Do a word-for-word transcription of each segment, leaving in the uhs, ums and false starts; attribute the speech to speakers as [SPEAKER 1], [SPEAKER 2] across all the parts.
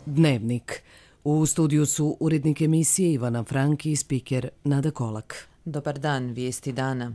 [SPEAKER 1] Dnevnik. U studiju su urednik emisije Ivana Franki i spiker Nada Kolak.
[SPEAKER 2] Dobar dan, vijesti dana.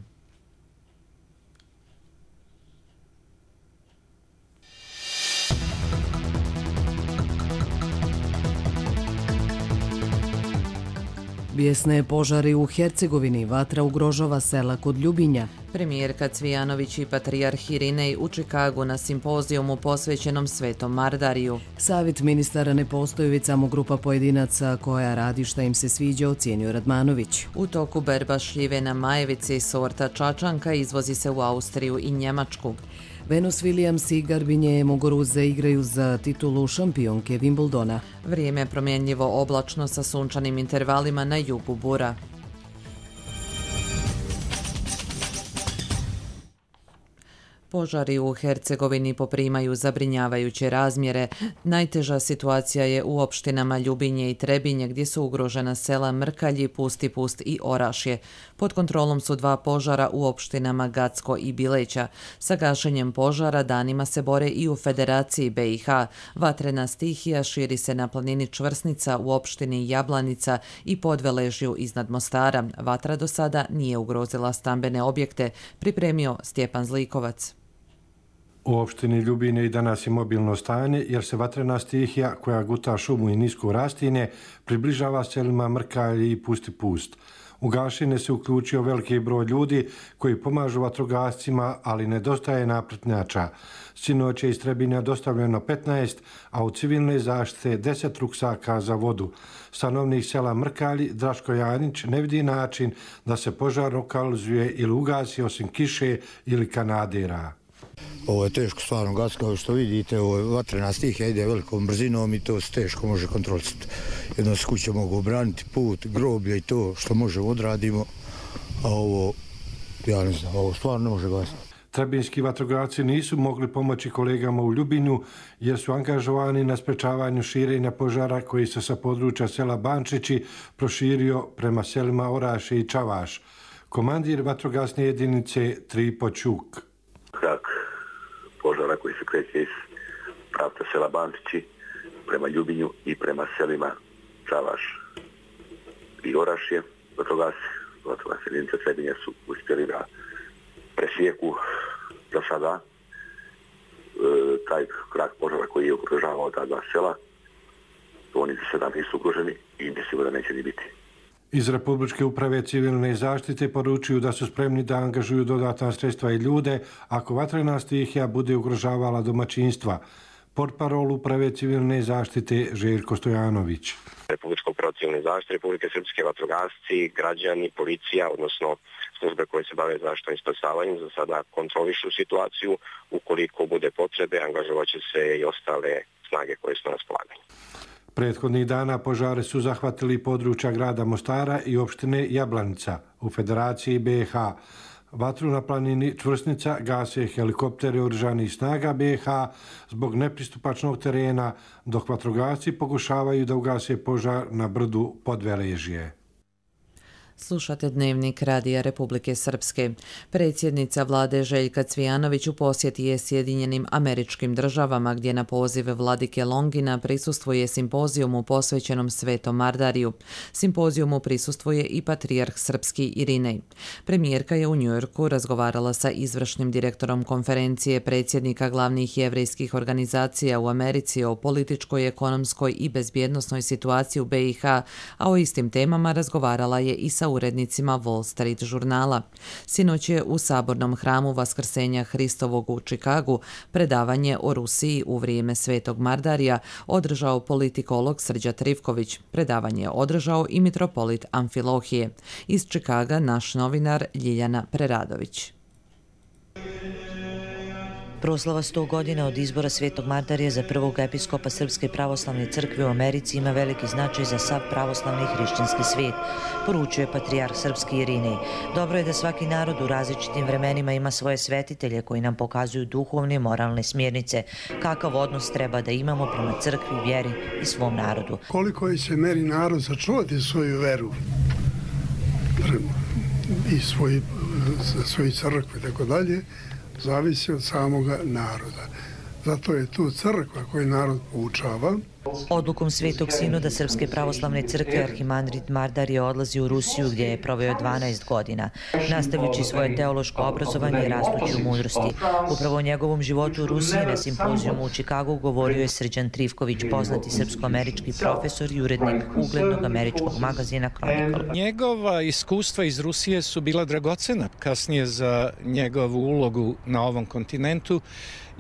[SPEAKER 1] Bijesne požari u Hercegovini, vatra ugrožava sela kod Ljubinja.
[SPEAKER 2] Premijerka Cvijanović i patrijarh Irinej u Čikagu na simpozijumu posvećenom Svetom Mardariju.
[SPEAKER 1] Savjet ministara ne postoji, samo grupa pojedinaca koja radi šta im se sviđa, ocijenio Radmanović.
[SPEAKER 2] U toku berba šljive na majevici sorta čačanka izvozi se u Austriju i Njemačku.
[SPEAKER 1] Venus Williams i Garbinje Muguruza igraju za titulu šampionke Wimbledona.
[SPEAKER 2] Vrijeme promjenljivo oblačno sa sunčanim intervalima na jugu bura. Požari u Hercegovini poprimaju zabrinjavajuće razmjere. Najteža situacija je u opštinama Ljubinje i Trebinje, gdje su ugrožena sela Mrkalji, Pusti Pust i Orašje. Pod kontrolom su dva požara u opštinama Gacko i Bileća. Sa gašenjem požara danima se bore i u Federaciji B i H. Vatrena stihija širi se na planini Čvrsnica u opštini Jablanica i Podveležju iznad Mostara. Vatra do sada nije ugrozila stambene objekte, pripremio Stjepan Zlikovac.
[SPEAKER 3] U opštini Ljubinje i danas je mobilno stanje jer se vatrena stihija koja guta šumu i nisko rastinje približava selima Mrkalji i Pusti Pust. U gašenje se uključio veliki broj ljudi koji pomažu vatrogascima, ali nedostaje napretnjača. Sinoć je iz Trebinja dostavljeno petnaest, a u civilne zaštite deset ruksaka za vodu. Stanovnik sela Mrkalji, Draško Janić, ne vidi način da se požar lokalizuje ili ugasi osim kiše ili kanadera.
[SPEAKER 4] Ovo je teško stvarno gas, kao što vidite, ovo je vatrena stihija, ide velikom brzinom i to se teško može kontrolisati. Jedno se kuće mogu obraniti, put, groblje i to što možemo odradimo, a ovo, ja ne znam, ovo stvarno ne može gasiti.
[SPEAKER 3] Trebinjski vatrogasci nisu mogli pomoći kolegama u Ljubinju jer su angažovani na sprečavanju širenja požara koji se sa područja sela Bančići proširio prema selima Orašje i Čavaš. Komandir vatrogasne jedinice Tripo Ćuk.
[SPEAKER 5] Krak požara koji se kreće iz pravca sela Bančići prema Ljubinju i prema selima Čavaš i Orašje. Vatrogasci, vatrogasne jedinice Trebinja su uspjeli da presjeku za sada e, taj krak požara koji je ugrožavao ta dva sela. Oni za sada nisu ugroženi i mislimo da neće ni biti.
[SPEAKER 3] Iz Republičke uprave civilne zaštite poručuju da su spremni da angažuju dodatna sredstva i ljude ako vatrena stihija bude ugrožavala domaćinstva. Portparol uprave civilne zaštite Željko Stojanović.
[SPEAKER 6] Republička uprava civilne zaštite, Republike Srpske, vatrogasci, građani, policija, odnosno službe koje se bave zaštitom i spasavanjem, za sada kontrolišu situaciju. Ukoliko bude potrebe, angažovat će se i ostale snage koje su na raspolaganju.
[SPEAKER 3] Prethodnih dana požare su zahvatili područja grada Mostara i opštine Jablanica u Federaciji B i H. Vatru na planini Čvrsnica gase helikoptere oružanih snaga B i H zbog nepristupačnog terena, dok vatrogasci pokušavaju da ugase požar na brdu Podveležje.
[SPEAKER 2] Slušate Dnevnik Radija Republike Srpske. Predsjednica vlade Željka Cvijanović u posjeti je Sjedinjenim Američkim Državama, gdje na poziv vladike Longina prisustvuje simpozijumu posvećenom Svetom Mardariju. Simpozijumu prisustvuje i patrijarh srpski Irinej. Premijerka je u Njujorku razgovarala sa izvršnim direktorom konferencije predsjednika glavnih jevrejskih organizacija u Americi o političkoj, ekonomskoj i bezbjednosnoj situaciji u B i H, a o istim temama razgovarala je i sa urednicima Wall Street žurnala. Sinoć je u Sabornom hramu Vaskrsenja Hristovog u Čikagu predavanje o Rusiji u vrijeme Svetog Mardarija održao politikolog Srđa Trivković. Predavanje je održao i mitropolit Amfilohije. Iz Čikaga naš novinar Ljiljana Preradović.
[SPEAKER 7] Proslava sto godina od izbora Svetog Mardarija za prvog episkopa Srpske pravoslavne crkve u Americi ima veliki značaj za sav pravoslavni i hrišćanski svijet, poručuje patrijarh srpski Irinej. Dobro je da svaki narod u različitim vremenima ima svoje svetitelje koji nam pokazuju duhovne i moralne smjernice, kakav odnos treba da imamo prema crkvi, vjeri i svom narodu.
[SPEAKER 8] Koliko je se meri narod sačuvati svoju veru i svoji crkve i tako dalje, zavisi od samoga naroda. Zato je tu crkva koju narod poučava.
[SPEAKER 7] Odlukom Svetog sinoda Srpske pravoslavne crkve arhimandrit Mardarije odlazi u Rusiju gdje je proveo dvanaest godina, nastavljajući svoje teološko obrazovanje i rastući u mudrosti. Upravo o njegovom životu u Rusiji na simpozijumu u Čikagu govorio je Srđan Trifković, poznati srpsko-američki profesor i urednik uglednog američkog magazina Chronicle.
[SPEAKER 9] Njegova iskustva iz Rusije su bila dragocena kasnije za njegovu ulogu na ovom kontinentu,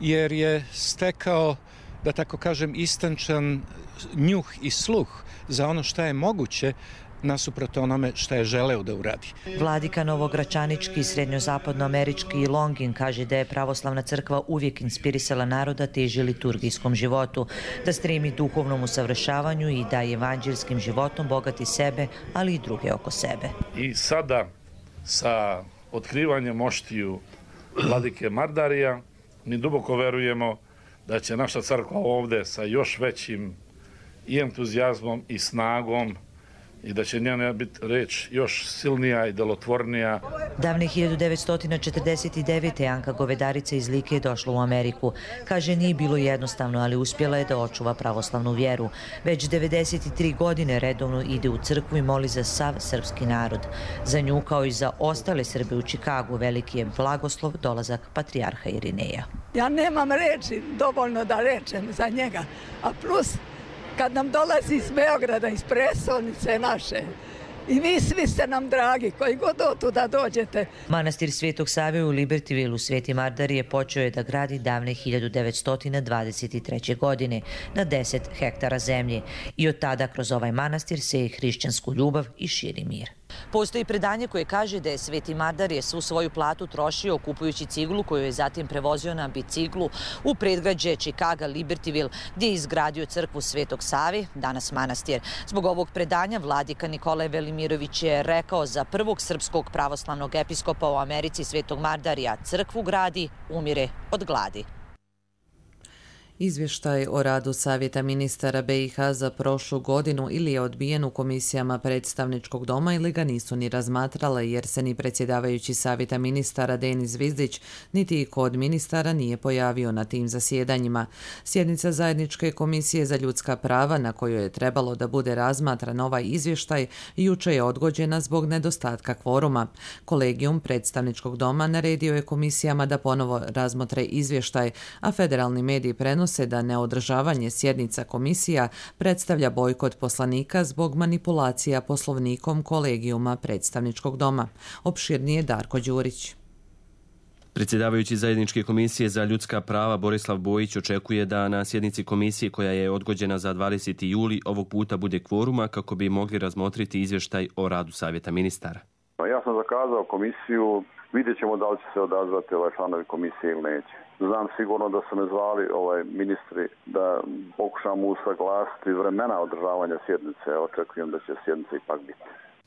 [SPEAKER 9] jer je stekao, da tako kažem, istančan njuh i sluh za ono šta je moguće nasuprot onome šta je želeo da uradi.
[SPEAKER 7] Vladika novogračanički, srednjozapadnoamerički Longin kaže da je pravoslavna crkva uvijek inspirisala naroda teži liturgijskom životu, da stremi duhovnom usavršavanju i da evanđelskim životom bogati sebe, ali i druge oko sebe.
[SPEAKER 10] I sada sa otkrivanjem moštiju vladike Mardarija mi duboko verujemo da će naša crkva ovdje sa još većim i entuzijazmom i snagom i da će njena biti reč još silnija i delotvornija.
[SPEAKER 7] Davne hiljadu devetsto četrdeset devete. Anka Govedarica iz Like je došla u Ameriku. Kaže, nije bilo jednostavno, ali uspjela je da očuva pravoslavnu vjeru. Već devedeset tri godine redovno ide u crkvu i moli za sav srpski narod. Za nju, kao i za ostale Srbe u Čikagu, veliki je blagoslov dolazak patrijarha Irineja.
[SPEAKER 11] Ja nemam reči dovoljno da rečem za njega, a plus kad nam dolazi iz Beograda, iz prestolnice naše, i vi svi ste nam dragi, koji god otuda dođete.
[SPEAKER 7] Manastir Svetog Save u Libertyvilu Sveti Mardarije počeo je da gradi davne hiljadu devetsto dvadeset treće. godine na deset hektara zemlje i od tada kroz ovaj manastir seje hrišćansku ljubav i širi mir. Postoji predanje koje kaže da je Sveti Mardarije svu svoju platu trošio kupujući ciglu koju je zatim prevozio na biciklu u predgrađe Čikaga Libertyville, gdje je izgradio crkvu Svetog Save, danas manastir. Zbog ovog predanja vladika Nikolaj Velimirović je rekao za prvog srpskog pravoslavnog episkopa u Americi Svetog Mardarija: crkvu gradi, umire od gladi.
[SPEAKER 2] Izvještaj o radu Savjeta ministara be i ha za prošlu godinu ili je odbijen u komisijama predstavničkog doma ili ga nisu ni razmatrale, jer se ni predsjedavajući Savjeta ministara Denis Zvizdić niti iko od ministara nije pojavio na tim zasjedanjima. Sjednica Zajedničke komisije za ljudska prava, na kojoj je trebalo da bude razmatran ovaj izvještaj, juče je odgođena zbog nedostatka kvoruma. Kolegijum predstavničkog doma naredio je komisijama da ponovo razmotre izvještaj, a federalni mediji prenose se da neodržavanje sjednica komisija predstavlja bojkot poslanika zbog manipulacija poslovnikom kolegijuma predstavničkog doma. Opširnije Darko Đurić.
[SPEAKER 12] Predsjedavajući Zajedničke komisije za ljudska prava Borislav Bojić očekuje da na sjednici komisije koja je odgođena za dvadeseti juli ovog puta bude kvoruma kako bi mogli razmotriti izvještaj o radu Savjeta ministara.
[SPEAKER 13] Ja sam zakazao komisiju, vidjet ćemo da li će se odazvati ovaj članovi komisije ili neće. Znam sigurno da su me zvali ovaj ministri da pokušamo usaglasiti vremena održavanja sjednice. Očekujem da će sjednica ipak biti.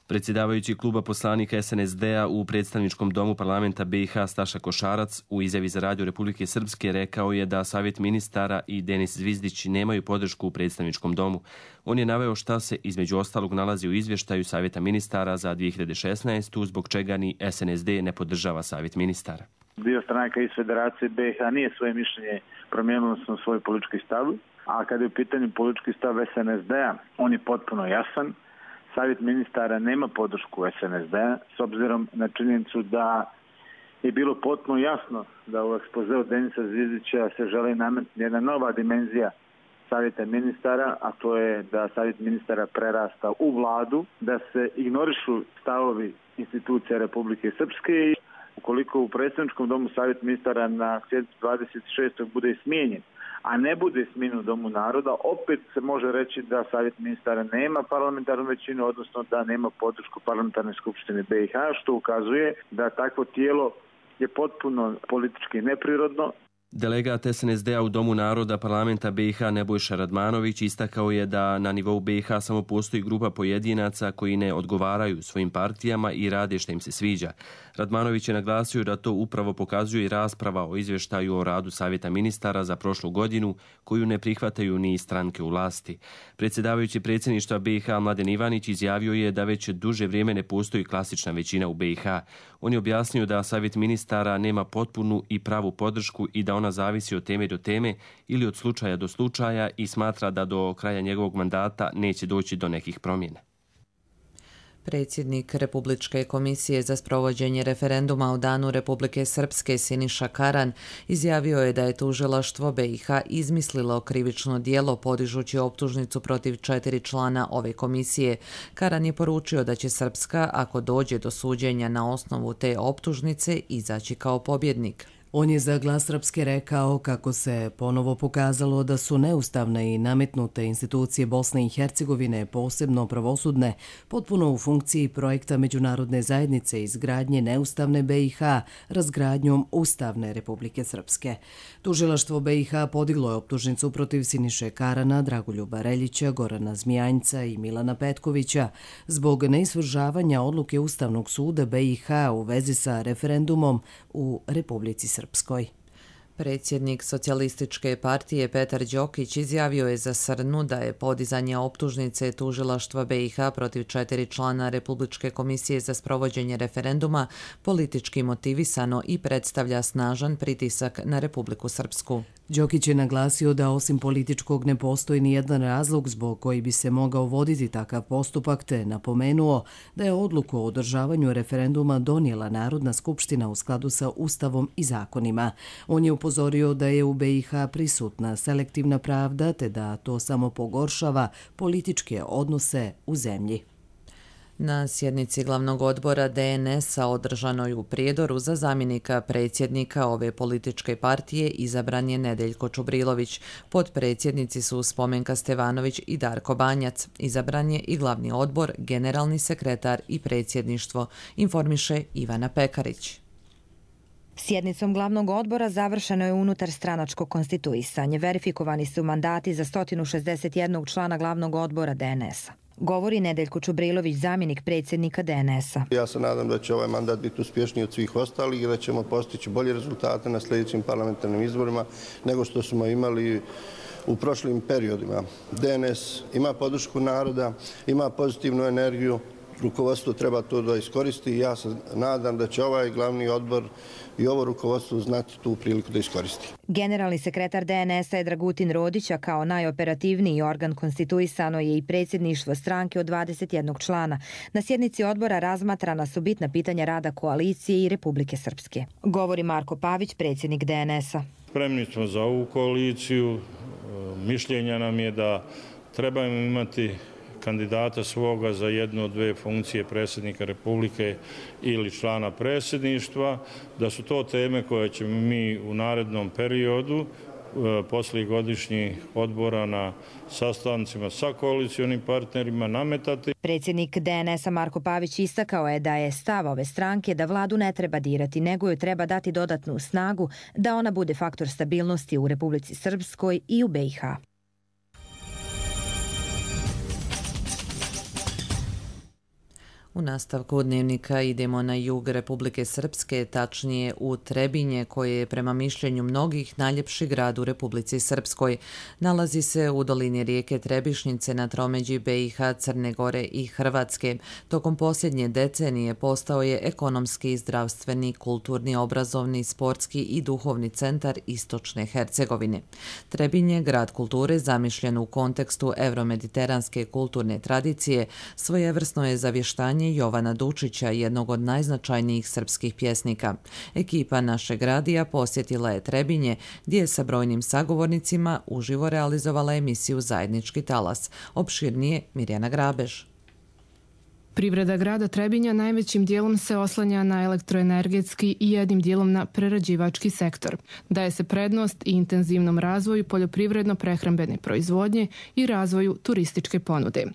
[SPEAKER 12] Predsjedavajući kluba poslanika es en es de-a u predstavničkom domu parlamenta be i ha Staša Košarac u izjavi za Radio Republike Srpske rekao je da Savjet ministara i Denis Zvizdić nemaju podršku u predstavničkom domu. On je naveo šta se između ostalog nalazi u izvještaju Savjeta ministara za dvije hiljade šesnaestu. zbog čega ni es en es de ne podržava Savjet ministara.
[SPEAKER 14] Dio stranaka iz Federacije be i ha nije svoje mišljenje promijenilo sam svoj politički stav, a kada je u pitanju politički stav es en es de-a, on je potpuno jasan. Savjet ministara nema podršku es en es de-a s obzirom na činjenicu da je bilo potpuno jasno da u ekspozeu Denisa Zvizdića se želi nametnuti jedna nova dimenzija Savjeta ministara, a to je da Savjet ministara prerasta u vladu, da se ignorišu stavovi institucija Republike Srpske. Ukoliko u predstavničkom domu Savjet ministara na sjednici dvadeset šestog bude smijenjen, a ne bude smijenjen u Domu naroda, opet se može reći da Savjet ministara nema parlamentarnu većinu, odnosno da nema podršku parlamentarne skupštine be i ha, što ukazuje da takvo tijelo je potpuno politički neprirodno.
[SPEAKER 12] Delegat es en es de-a u Domu naroda parlamenta be i ha Nebojša Radmanović istakao je da na nivou be i ha samo postoji grupa pojedinaca koji ne odgovaraju svojim partijama i rade što im se sviđa. Radmanović je naglasio da to upravo pokazuje i rasprava o izvještaju o radu Savjeta ministara za prošlu godinu, koju ne prihvataju ni stranke u vlasti. Predsjedavajući predsjedništva be i ha Mladen Ivanić izjavio je da već duže vrijeme ne postoji klasična većina u be i ha. On je objasnio da Savjet ministara nema potpunu i pravu podršku i da ona ona zavisi od teme do teme ili od slučaja do slučaja i smatra da do kraja njegovog mandata neće doći do nekih promjena.
[SPEAKER 2] Predsjednik Republičke komisije za sprovođenje referenduma o Danu Republike Srpske Siniša Karan izjavio je da je tužilaštvo B i H izmislilo krivično djelo podižući optužnicu protiv četiri člana ove komisije. Karan je poručio da će Srpska, ako dođe do suđenja na osnovu te optužnice, izaći kao pobjednik.
[SPEAKER 1] On je za Glas Srpske rekao kako se ponovo pokazalo da su neustavne i nametnute institucije Bosne i Hercegovine, posebno pravosudne, potpuno u funkciji projekta međunarodne zajednice izgradnje neustavne B i H razgradnjom Ustavne Republike Srpske. Tužilaštvo B i H podiglo je optužnicu protiv Siniše Karana, Dragoljuba Reljića, Gorana Zmijanjca i Milana Petkovića zbog neisvršavanja odluke Ustavnog suda B i H u vezi sa referendumom u Republici Srpskoj. Srpskoj.
[SPEAKER 2] Predsjednik Socijalističke partije Petar Đokić izjavio je za Srnu da je podizanje optužnice tužilaštva B i H protiv četiri člana Republičke komisije za sprovođenje referenduma politički motivisano i predstavlja snažan pritisak na Republiku Srpsku.
[SPEAKER 1] Đokić je naglasio da osim političkog ne postoji ni jedan razlog zbog koji bi se mogao voditi takav postupak, te napomenuo da je odluku o održavanju referenduma donijela Narodna skupština u skladu sa Ustavom i zakonima. On je upozorio da je u B i H prisutna selektivna pravda, te da to samo pogoršava političke odnose u zemlji.
[SPEAKER 2] Na sjednici glavnog odbora D N S-a održanoj u Prijedoru za zamjenika predsjednika ove političke partije izabran je Nedeljko Čubrilović. Potpredsjednici su Spomenka Stevanović i Darko Banjac. Izabran je i glavni odbor, generalni sekretar i predsjedništvo, informiše Ivana Pekarić.
[SPEAKER 15] Sjednicom glavnog odbora završeno je unutar stranačko konstituisanje. Verifikovani su mandati za sto šezdeset jedan člana glavnog odbora D N S-a. Govori Nedeljko Čubrilović, zamjenik predsjednika D N S-a.
[SPEAKER 16] Ja se nadam da će ovaj mandat biti uspješniji od svih ostalih i da ćemo postići bolje rezultate na sljedećim parlamentarnim izborima nego što smo imali u prošlim periodima. D N S ima podršku naroda, ima pozitivnu energiju, rukovodstvo treba to da iskoristi i ja se nadam da će ovaj glavni odbor i ovo rukovodstvo znati tu priliku da iskoristi.
[SPEAKER 15] Generalni sekretar D N S-a je Dragutin Rodića, kao najoperativniji organ konstituisano je i predsjedništvo stranke od dvadeset jednog člana. Na sjednici odbora razmatrana su bitna pitanja rada koalicije i Republike Srpske. Govori Marko Pavić, predsjednik D N S-a.
[SPEAKER 17] Spremni smo za ovu koaliciju. Mišljenja nam je da trebamo imati kandidata svoga za jednu od dve funkcije predsjednika Republike ili člana predsjedništva, da su to teme koje ćemo mi u narednom periodu poslije godišnjih odbora na sastancima sa koalicionim partnerima nametati.
[SPEAKER 15] Predsjednik D N S-a Marko Pavić istakao je da je stav ove stranke da vladu ne treba dirati, nego joj treba dati dodatnu snagu da ona bude faktor stabilnosti u Republici Srpskoj i u B i H.
[SPEAKER 2] U nastavku dnevnika idemo na jug Republike Srpske, tačnije u Trebinje, koje je prema mišljenju mnogih najljepši grad u Republici Srpskoj. Nalazi se u dolini rijeke Trebišnjice na tromeđi B i H, Crne Gore i Hrvatske. Tokom posljednje decenije postao je ekonomski, zdravstveni, kulturni, obrazovni, sportski i duhovni centar istočne Hercegovine. Trebinje, grad kulture zamišljen u kontekstu evromediteranske kulturne tradicije, svojevrsno je zavještanje Jovana Dučića, jednog od najznačajnijih srpskih pjesnika. Ekipa našeg radija posjetila je Trebinje, gdje je sa brojnim sagovornicima uživo realizovala emisiju Zajednički talas. Opširnije Mirjana Grabež.
[SPEAKER 18] Privreda grada Trebinja najvećim dijelom se oslanja na elektroenergetski i jednim dijelom na prerađivački sektor. Daje se prednost i intenzivnom razvoju poljoprivredno-prehrambene proizvodnje i razvoju turističke ponude.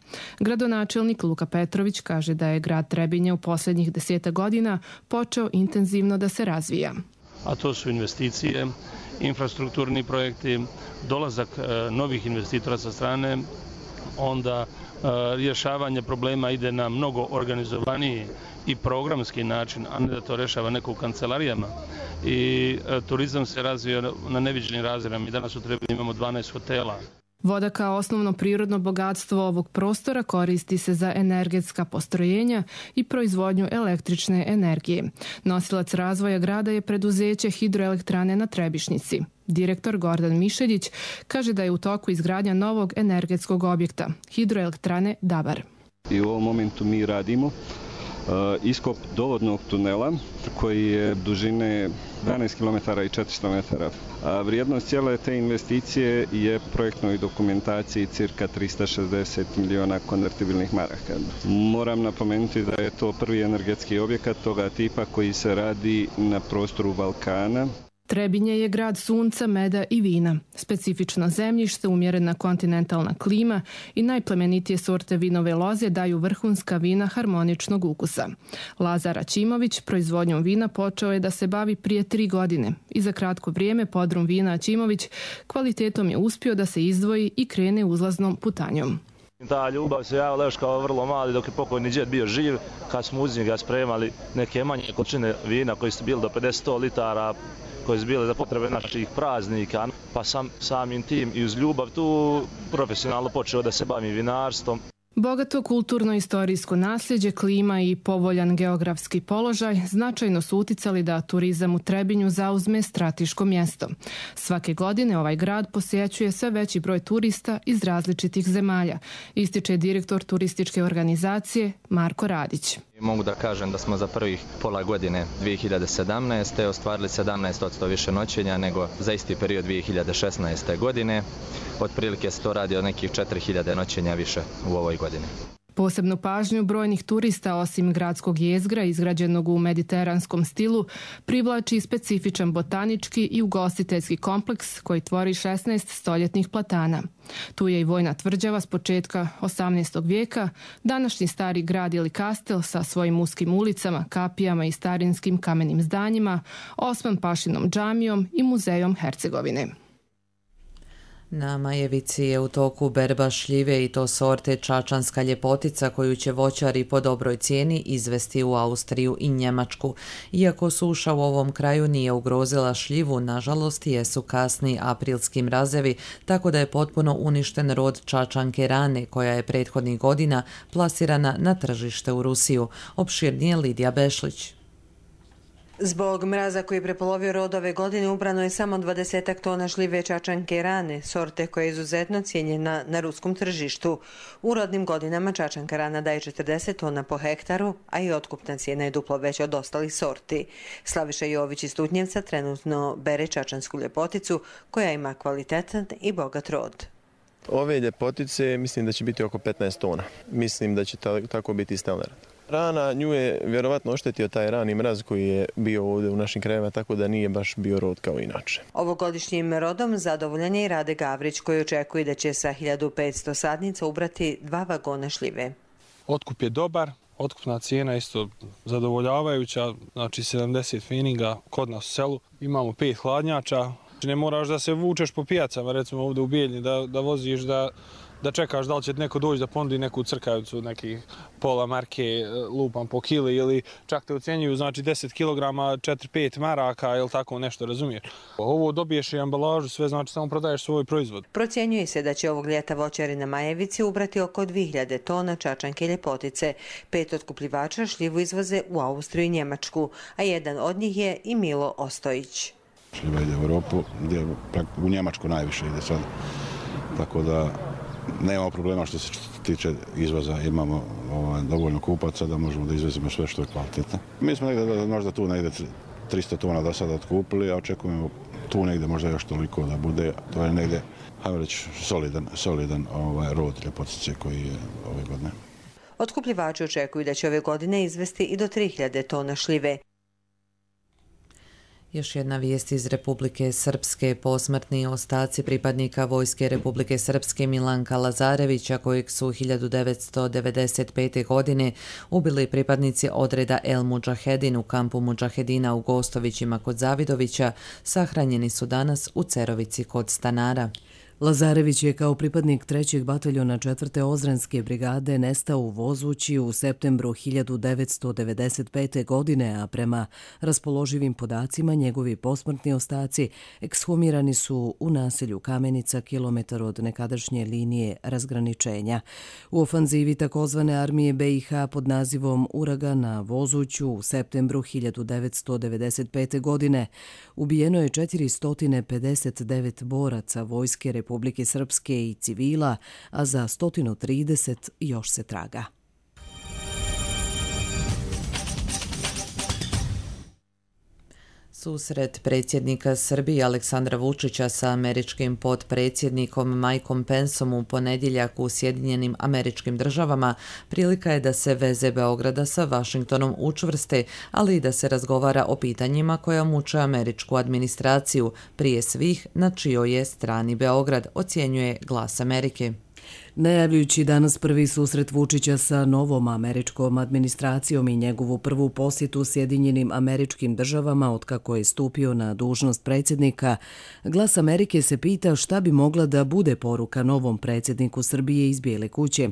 [SPEAKER 18] Gradonačelnik Luka Petrović kaže da je grad Trebinja u posljednjih deseta godina počeo intenzivno da se razvija.
[SPEAKER 19] A to su investicije, infrastrukturni projekti, dolazak novih investitora sa strane, onda rješavanje problema ide na mnogo organizovaniji i programski način, a ne da to rešava neko u kancelarijama. I turizam se razvio na neviđenim razmjerima. Mi danas u Trebinju imamo dvanaest hotela.
[SPEAKER 18] Voda kao osnovno prirodno bogatstvo ovog prostora koristi se za energetska postrojenja i proizvodnju električne energije. Nosilac razvoja grada je preduzeće hidroelektrane na Trebišnjici. Direktor Gordan Mišeljić kaže da je u toku izgradnja novog energetskog objekta, hidroelektrane Dabar.
[SPEAKER 20] I u ovom momentu mi radimo iskop dovodnog tunela koji je dužine dvanaest kilometara i četiristo metara. A vrijednost cijele te investicije je projektnoj dokumentaciji cirka tristo šezdeset miliona konvertibilnih maraka. Moram napomenuti da je to prvi energetski objekat toga tipa koji se radi na prostoru Balkana.
[SPEAKER 18] Trebinje je grad sunca, meda i vina. Specifično zemljište, umjerena kontinentalna klima i najplemenitije sorte vinove loze daju vrhunska vina harmoničnog ukusa. Lazar Aćimović proizvodnjom vina počeo je da se bavi prije tri godine i za kratko vrijeme podrum vina Aćimović kvalitetom je uspio da se izdvoji i krene uzlaznom putanjom.
[SPEAKER 21] Ta ljubav se javila još kao vrlo mali dok je pokojni džed bio živ, kad smo uz njega spremali neke manje količine vina koji su bili do pedeset litara, koji su bile za potrebe naših praznika, pa sam samim tim i uz ljubav tu profesionalno počeo da se bavim vinarstvom.
[SPEAKER 18] Bogato kulturno-istorijsko nasljeđe, klima i povoljan geografski položaj značajno su uticali da turizam u Trebinju zauzme strateško mjesto. Svake godine ovaj grad posjećuje sve veći broj turista iz različitih zemalja, ističe direktor turističke organizacije Marko Radić.
[SPEAKER 22] Mogu da kažem da smo za prvih pola godine dvije hiljade sedamnaeste. ostvarili sedamnaest posto više noćenja nego za isti period dvije hiljade šesnaeste. godine. Otprilike se to radi o nekih četiri hiljade noćenja više u ovoj godini.
[SPEAKER 18] Posebnu pažnju brojnih turista, osim gradskog jezgra izgrađenog u mediteranskom stilu, privlači specifičan botanički i ugostiteljski kompleks koji tvori šesnaest stoljetnih platana. Tu je i vojna tvrđava s početka osamnaestog vijeka, današnji stari grad ili kastel sa svojim uskim ulicama, kapijama i starinskim kamenim zdanjima, Osman Pašinom džamijom i muzejom Hercegovine.
[SPEAKER 2] Na Majevici je u toku berba šljive i to sorte čačanska ljepotica koju će voćari po dobroj cijeni izvesti u Austriju i Njemačku. Iako suša u ovom kraju nije ugrozila šljivu, nažalost jesu kasni aprilski mrazevi, tako da je potpuno uništen rod čačanke rane koja je prethodnih godina plasirana na tržište u Rusiju. Opširnije Lidija Bešlić.
[SPEAKER 23] Zbog mraza koji je prepolovio rod ove godine ubrano je samo dvadesetak tona šljive čačanke rane, sorte koja je izuzetno cijenjena na ruskom tržištu. U rodnim godinama čačanka rana daje četrdeset tona po hektaru, a i otkupna cijena je duplo veća od ostalih sorti. Slaviša Jović iz Tutnjevca trenutno bere čačansku ljepoticu koja ima kvalitetan i bogat rod.
[SPEAKER 24] Ove ljepotice mislim da će biti oko petnaest tona. Mislim da će tako biti i stelner. Rana nju je vjerovatno oštetio taj rani mraz koji je bio ovdje u našim krajevima, tako da nije baš bio rod kao inače.
[SPEAKER 23] Ovogodišnjim rodom zadovoljan je i Rade Gavrić koji očekuje da će sa hiljadu petsto sadnica ubrati dva vagona šljive.
[SPEAKER 25] Otkup je dobar, otkupna cijena isto zadovoljavajuća, znači sedamdeset feninga kod nas u selu. Imamo pet hladnjača, ne moraš da se vučeš po pijacama, recimo ovdje u Bijeljni, da, da voziš, da... da čekaš da li će neko doći da ponudi neku crkavicu, nekih pola marke lupam po kili ili čak te ucenjuju, znači deset kilograma, četiri pet maraka ili tako nešto, razumiješ. Ovo dobiješ i ambalažu, sve znači samo prodaješ svoj proizvod.
[SPEAKER 23] Procjenjuje se da će ovog ljeta voćari na Majevici ubrati oko dvije hiljade tona čačanke ljepotice. Pet otkupljivača šljivu izvoze u Austriju i Njemačku, a jedan od njih je i Milo Ostojić.
[SPEAKER 26] Šljiva ide u Europu, gdje u Njemačku najviše ide sad, tako da nemamo problema što se tiče izvoza, imamo ovaj, dovoljno kupaca da možemo da izvezimo sve što je kvalitetno. Mi smo negdje, možda tu negdje tristo tona do sada otkupili, a očekujemo tu negdje možda još toliko da bude. To je negdje, hajmo reći, solidan, solidan ovaj, rod ljepotice koji je ove godine.
[SPEAKER 23] Otkupljivači očekuju da će ove godine izvesti i do tri hiljade tona šljive.
[SPEAKER 2] Još jedna vijest iz Republike Srpske. Posmrtni ostaci pripadnika Vojske Republike Srpske Milanka Lazarevića, kojeg su hiljadu devetsto devedeset pete. godine ubili pripadnici odreda El Mudžahedin u kampu Mudžahedina u Gostovićima kod Zavidovića, sahranjeni su danas u Cerovici kod stanara.
[SPEAKER 1] Lazarević je kao pripadnik trećeg bataljona četvrte Ozrenske brigade nestao u Vozući u septembru hiljadu devetsto devedeset pete. godine, a prema raspoloživim podacima njegovi posmrtni ostaci ekshumirani su u naselju Kamenica, kilometar od nekadašnje linije razgraničenja. U ofanzivi takozvane armije B i H pod nazivom Uragan na Vozuću u septembru hiljadu devetsto devedeset pete. godine ubijeno je četiristo pedeset devet boraca vojske Republike Srpske i civila, a za sto trideset još se traga.
[SPEAKER 2] Susret predsjednika Srbije Aleksandra Vučića sa američkim potpredsjednikom Mikeom Penceom u ponedjeljak u Sjedinjenim Američkim Državama prilika je da se veze Beograda sa Vašingtonom učvrste, ali i da se razgovara o pitanjima koja muče američku administraciju, prije svih na čijoj je strani Beograd, ocjenjuje Glas Amerike.
[SPEAKER 1] Najavljujući danas prvi susret Vučića sa novom američkom administracijom i njegovu prvu posjetu Sjedinjenim Američkim Državama otkako je stupio na dužnost predsjednika, Glas Amerike se pita šta bi mogla da bude poruka novom predsjedniku Srbije iz Bijele kuće.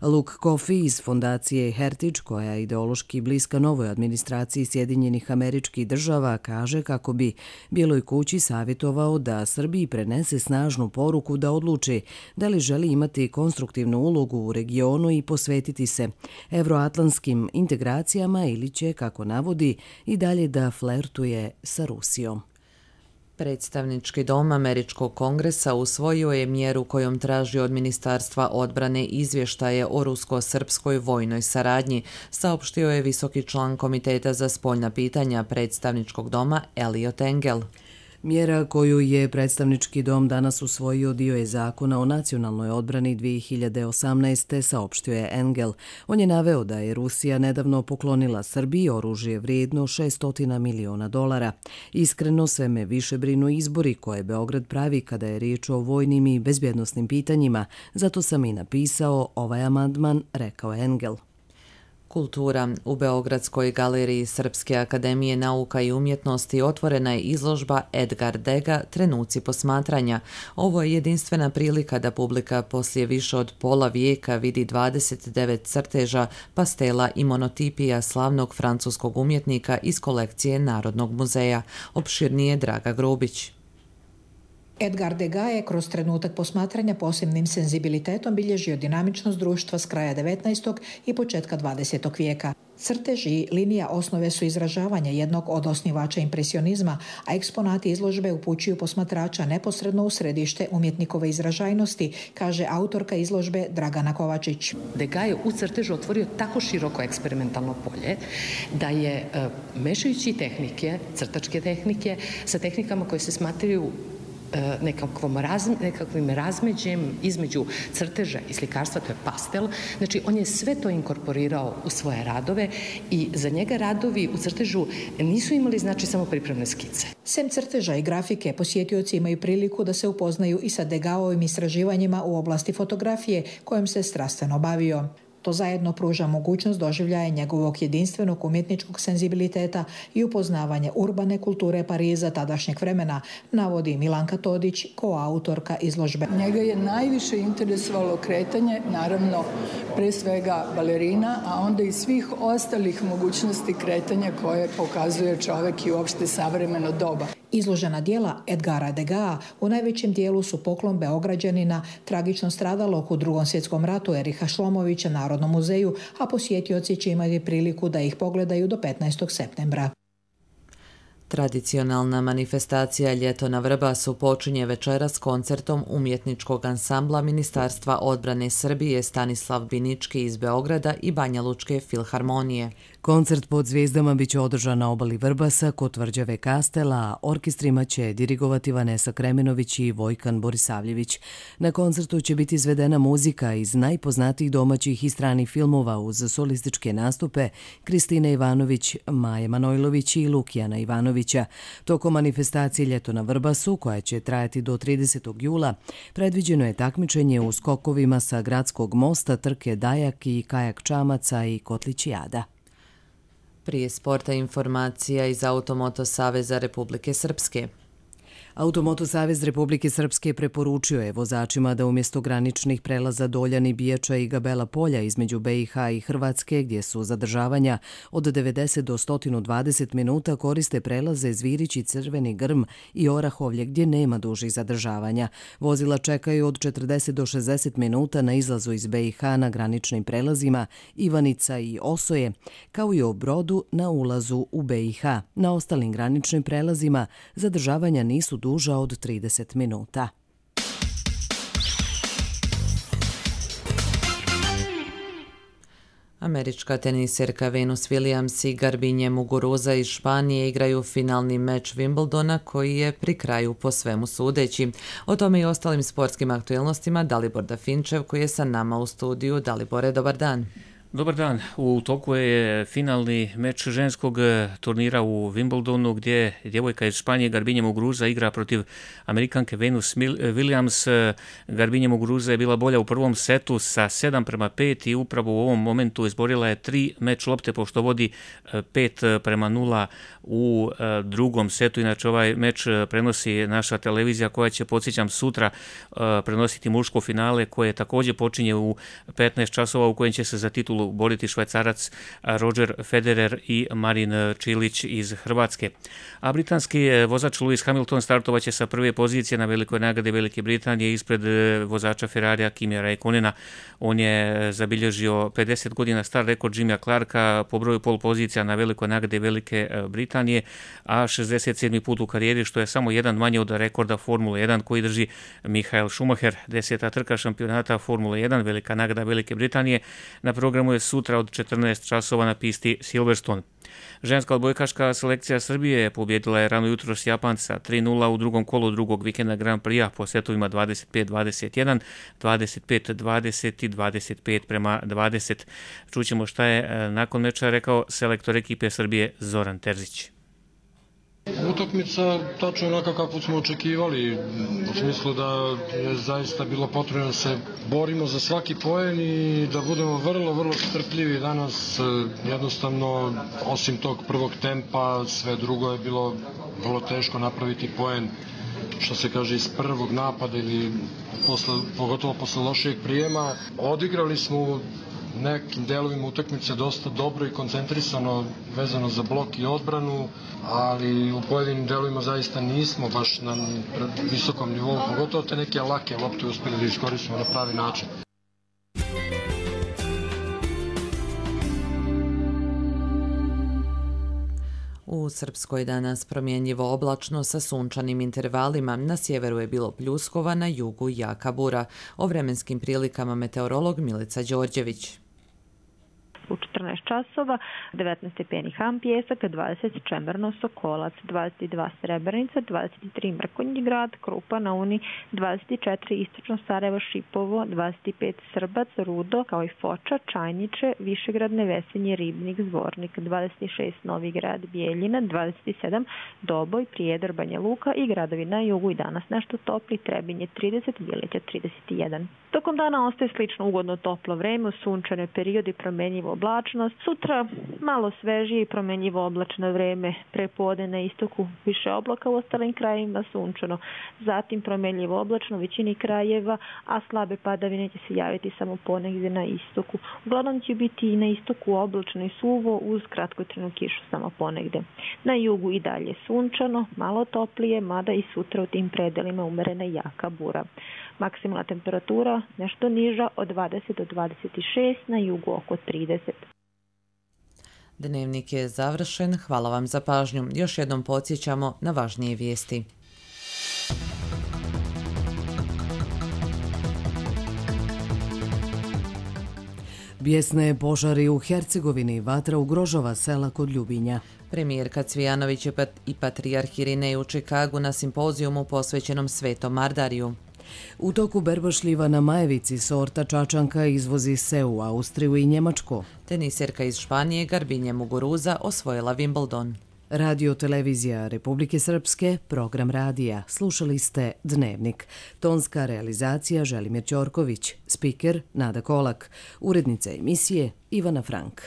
[SPEAKER 1] Luke Coffey iz fondacije Heritage, koja je ideološki bliska novoj administraciji Sjedinjenih Američkih Država, kaže kako bi Bijeloj kući savjetovao da Srbiji prenese snažnu poruku da odluči da li želi imati konstruktivnu ulogu u regionu i posvetiti se evroatlantskim integracijama ili će, kako navodi, i dalje da flertuje sa Rusijom.
[SPEAKER 2] Predstavnički dom Američkog kongresa usvojio je mjeru kojom traži od Ministarstva odbrane izvještaje o rusko-srpskoj vojnoj saradnji, saopštio je visoki član Komiteta za spoljna pitanja Predstavničkog doma Eliot Engel.
[SPEAKER 1] Mjera koju je predstavnički dom danas usvojio dio je zakona o nacionalnoj odbrani dvije hiljade osamnaeste. saopštio je Engel. On je naveo da je Rusija nedavno poklonila Srbiji oružje vrijedno šessto miliona dolara. Iskreno, sve me više brinu izbori koje Beograd pravi kada je riječ o vojnim i bezbjednosnim pitanjima, zato sam i napisao ovaj amandman, rekao Engel.
[SPEAKER 2] Kultura. U Beogradskoj galeriji Srpske akademije nauka i umjetnosti otvorena je izložba Edgar Dega Trenuci posmatranja. Ovo je jedinstvena prilika da publika poslije više od pola vijeka vidi dvadeset devet crteža, pastela i monotipija slavnog francuskog umjetnika iz kolekcije Narodnog muzeja. Opširnije Draga Grubić.
[SPEAKER 3] Edgar Degas je kroz trenutak posmatranja posebnim senzibilitetom bilježio dinamičnost društva s kraja devetnaestog i početka dvadesetog vijeka. Crtež i linija osnove su izražavanja jednog od osnivača impresionizma, a eksponati izložbe upućuju posmatrača neposredno u središte umjetnikove izražajnosti, kaže autorka izložbe Dragana Kovačić.
[SPEAKER 4] Degas je u crtežu otvorio tako široko eksperimentalno polje da je, mešajući tehnike, crtačke tehnike, sa tehnikama koje se smatraju nekakvom raz, nekakvim razmeđem između crteža i slikarstva, to je pastel. Znači, on je sve to inkorporirao u svoje radove i za njega radovi u crtežu nisu imali znači samo pripremne skice.
[SPEAKER 3] Sem crteža i grafike, posjetioci imaju priliku da se upoznaju i sa Degasovim istraživanjima u oblasti fotografije kojom se strastveno bavio. To zajedno pruža mogućnost doživljaja njegovog jedinstvenog umjetničkog senzibiliteta i upoznavanje urbane kulture Pariza tadašnjeg vremena, navodi Milanka Todić, koautorka izložbe.
[SPEAKER 11] Njega je najviše interesovalo kretanje, naravno pre svega balerina, a onda i svih ostalih mogućnosti kretanja koje pokazuje čovek i uopšte savremeno doba.
[SPEAKER 3] Izložena dijela Edgara Degasa u najvećem dijelu su poklon Beograđanina, tragično stradalog u Drugom svjetskom ratu Eriha Šlomovića Narodnom muzeju, a posjetioci će imati priliku da ih pogledaju do petnaestog septembra.
[SPEAKER 2] Tradicionalna manifestacija Ljeto na Vrbasu počinje večeras s koncertom umjetničkog ansambla Ministarstva odbrane Srbije Stanislav Binički iz Beograda i Banja Lučke filharmonije.
[SPEAKER 1] Koncert pod zvijezdama biće održan na obali Vrbasa kod tvrđave Kastela, a orkestrima će dirigovati Vanesa Kremenović i Vojkan Borisavljević. Na koncertu će biti izvedena muzika iz najpoznatijih domaćih i stranih filmova uz solističke nastupe Kristine Ivanović, Maje Manojlović i Lukijana Ivanovića. Tokom manifestacije Ljeto na Vrbasu, koja će trajati do tridesetog jula, predviđeno je takmičenje u skokovima sa Gradskog mosta, trke Dajak i kajak čamaca i kotlićijada.
[SPEAKER 2] Prije sporta informacija iz Automoto Saveza Republike Srpske.
[SPEAKER 1] Automoto savez Republike Srpske preporučio je vozačima da umjesto graničnih prelaza Doljani, Bijača i Gabela polja između B i H i Hrvatske, gdje su zadržavanja od devedeset do sto dvadeset minuta, koriste prelaze Zvirić i Crveni Grm i Orahovlje, gdje nema dužih zadržavanja. Vozila čekaju od četrdeset do šezdeset minuta na izlazu iz B i H na graničnim prelazima Ivanica i Osoje, kao i u Brodu na ulazu u B i H. Na ostalim graničnim prelazima zadržavanja nisu duža od trideset minuta.
[SPEAKER 2] Američka teniserka Venus Williams i Garbinje Muguruza iz Španije igraju finalni meč Wimbledona koji je pri kraju po svemu sudeći. O tome i ostalim sportskim aktualnostima Dalibor Dafinčev koji je sa nama u studiju. Dalibore, dobar dan.
[SPEAKER 5] Dobar dan. U toku je finalni meč ženskog turnira u Wimbledonu gdje djevojka iz Španije Garbinje Muguruza igra protiv Amerikanke Venus Williams. Garbinje Muguruza je bila bolja u prvom setu sa sedam prema pet i upravo u ovom momentu izborila je tri meč lopte pošto vodi pet prema nula u drugom setu. Inače ovaj meč prenosi naša televizija koja će, podsjećam, sutra prenositi muško finale koje također počinje u petnaest časova u kojem će se za titulu boriti Švajcarac Roger Federer i Marin Čilić iz Hrvatske. A britanski vozač Lewis Hamilton startovaće sa prve pozicije na velikoj nagradi Velike Britanije ispred vozača Ferrarija Kimija Räikkönena. On je zabilježio pedeset godina star rekord Jimmya Clarka po broju pol pozicija na velikoj nagradi Velike Britanije, a šezdeset sedmi put u karijeri, što je samo jedan manje od rekorda Formule jedan koji drži Michael Schumacher. Deseta trka šampionata Formule jedan, velika nagrada Velike Britanije, na programu je sutra od četrnaest časova na pisti Silverstone. Ženska odbojkaška selekcija Srbije pobjedila je rano jutros Japanca tri nula u drugom kolu drugog vikenda Grand Prix-a po setovima dvadeset pet dvadeset jedan, dvadeset pet dvadeset i dvadeset pet prema dvadeset. Čućemo šta je nakon meča rekao selektor ekipe Srbije Zoran Terzić.
[SPEAKER 6] Utakmica tačno onako kako smo očekivali, u smislu da je zaista bilo potrebno da se borimo za svaki poen i da budemo vrlo, vrlo strpljivi danas. Jednostavno, osim tog prvog tempa, sve drugo je bilo vrlo teško napraviti poen, što se kaže, iz prvog napada ili posle, pogotovo posle lošijeg prijema. Odigrali smo nekim delovima utakmice dosta dobro i koncentrisano vezano za blok i odbranu, ali u pojedinim delovima zaista nismo baš na visokom nivou, pogotovo te neke lake lopte uspjeli da iskoristimo na pravi način.
[SPEAKER 2] U Srpskoj danas promjenjivo oblačno sa sunčanim intervalima. Na sjeveru je bilo pljuskova, na jugu jaka bura. O vremenskim prilikama meteorolog Milica Đorđević.
[SPEAKER 7] U četrnaest časova, devetnaest stepeni Ham Pjesak, dvadeset Čemerno Sokolac, dvadeset dva Srebrenica, dvadeset tri Mrkonji grad, Krupa na Uni, dvadeset četiri Istočno Sarajevo Šipovo, dvadeset pet Srbac, Rudo, kao i Foča, Čajniče, Višegrad, Nevesenje, Ribnik, Zvornik, dvadeset šest Novi Grad, Bijeljina, dvadeset sedam Doboj, Prijedor, Banja Luka i gradovi na jugu i danas nešto topli, Trebinje trideset, Bjelića trideset jedan. Tokom dana ostaje slično ugodno toplo vreme, u sunčane periodi promenjivo oblačnost. Sutra malo svežije i promenjivo oblačno vreme, prepodne na istoku više oblaka, u ostalim krajevima sunčano. Zatim promenjivo oblačno u većini krajeva, a slabe padavine će se javiti samo ponegdje na istoku. Uglavnom će biti i na istoku oblačno i suvo uz kratkotrajnu kišu samo ponegdje. Na jugu i dalje sunčano, malo toplije, mada i sutra u tim predelima umerena jaka bura. Maksimalna temperatura nešto niža od dvadeset do dvadeset šest, na jugu oko trideset.
[SPEAKER 2] Dnevnik je završen. Hvala vam za pažnju. Još jednom podsjećamo na važnije vijesti.
[SPEAKER 1] Bijesne požari u Hercegovini, vatra ugrožava sela kod Ljubinja.
[SPEAKER 2] Premijerka Cvijanović i patrijarh Irinej u Čikagu na simpozijumu posvećenom Svetom Mardariju.
[SPEAKER 1] U toku berba šljiva na Majevici sorta čačanka izvozi se u Austriju i Njemačko.
[SPEAKER 2] Teniserka iz Španije Garbinje Muguruza osvojila Wimbledon.
[SPEAKER 1] Radio televizija Republike Srpske, program radija. Slušali ste Dnevnik. Tonska realizacija Želimir Ćorković, spiker Nada Kolak, urednica emisije Ivana Frank.